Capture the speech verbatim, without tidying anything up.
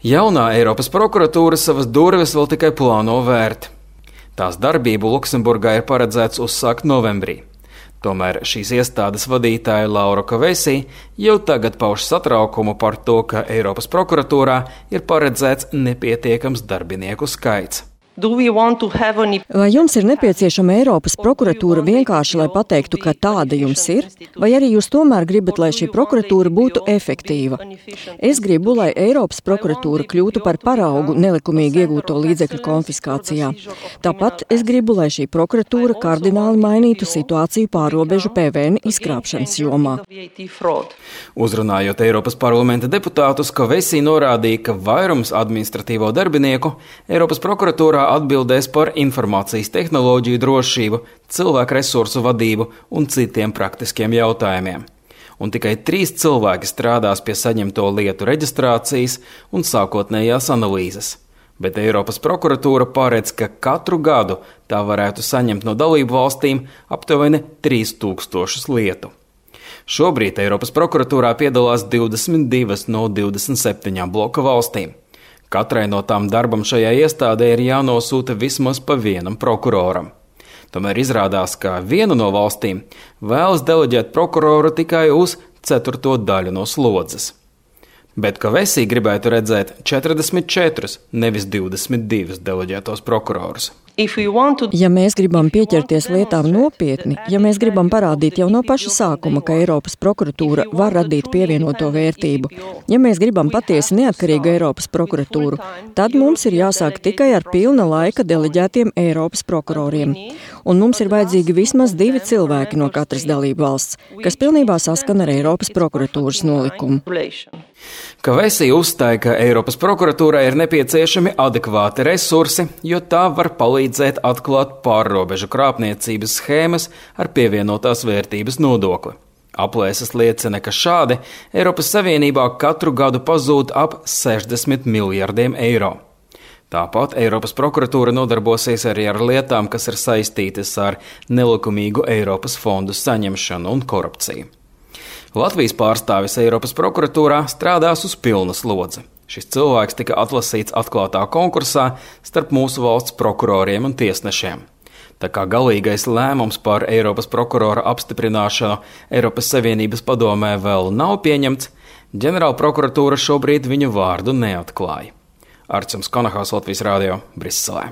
Jaunā Eiropas prokuratūra savas durvis vēl tikai plāno vērt. Tās darbību Luksemburgā ir paredzēts uzsākt novembrī. Tomēr šīs iestādes vadītāja Laura Kovesi jau tagad pauž satraukumu par to, ka Eiropas prokuratūrā ir paredzēts nepietiekams darbinieku skaits. Vai jums ir nepieciešama Eiropas prokuratūra vienkārši, lai pateiktu, ka tāda jums ir? Vai arī jūs tomēr gribat, lai šī prokuratūra būtu efektīva? Es gribu, lai Eiropas prokuratūra kļūtu par paraugu nelikumīgi iegūto līdzekļu konfiskācijā. Tāpat es gribu, lai šī prokuratūra kardināli mainītu situāciju pārrobežu P V N izkrāpšanas jomā. Uzrunājot Eiropas parlamenta deputātus, Kovesi norādīja, ka vairums administratīvo darbinieku Eiropas prokuratūrā atbildēs par informācijas tehnoloģiju drošību, cilvēku resursu vadību un citiem praktiskiem jautājumiem. Un tikai trīs cilvēki strādās pie saņemto lietu reģistrācijas un sākotnējās analīzes. Bet Eiropas prokuratūra paredz, ka katru gadu tā varētu saņemt no dalību valstīm aptuveni trīs tūkstošus lietu. Šobrīd Eiropas prokuratūrā piedalās divdesmit divas no divdesmit septiņām bloka valstīm. Katrai no tām darbam šajā iestādē ir jānosūta vismaz pa vienam prokuroram. Tomēr izrādās, ka viena no valstīm vēlas deleģēt prokuroru tikai uz ceturto daļu no slodzes. Bet Kovesi gribētu redzēt četrdesmit četrus, nevis divdesmit divus deleģētos prokurorus. Ja mēs gribam pieķerties lietām nopietni, ja mēs gribam parādīt jau no paša sākuma, ka Eiropas prokuratūra var radīt pievienoto vērtību, ja mēs gribam patiesi neatkarīgu Eiropas prokuratūru, tad mums ir jāsāk tikai ar pilna laika deleģētiem Eiropas prokuroriem. Un mums ir vajadzīgi vismaz divi cilvēki no katras dalību valsts, kas pilnībā saskana ar Eiropas prokuratūras nolikumu. Kovesi uzstāja, ka Eiropas prokuratūrai ir nepieciešami adekvāti resursi, jo tā var palīdzēt atklāt pārrobežu krāpniecības schēmas ar pievienotās vērtības nodokli. Aplēses liecina, ka šādi Eiropas Savienībā katru gadu pazūd ap sešdesmit miljardiem eiro. Tāpat Eiropas prokuratūra nodarbosies arī ar lietām, kas ir saistītas ar nelikumīgu Eiropas fondu saņemšanu un korupciju. Latvijas pārstāvis Eiropas prokuratūrā strādās uz pilnu slodzi. Šis cilvēks tika atlasīts atklātā konkursā starp mūsu valsts prokuroriem un tiesnešiem. Tā kā galīgais lēmums par Eiropas prokurora apstiprināšanu Eiropas Savienības padomē vēl nav pieņemts, ģenerāla prokuratūra šobrīd viņu vārdu neatklāja. Arčuns Konahals, Latvijas radio, Briselē.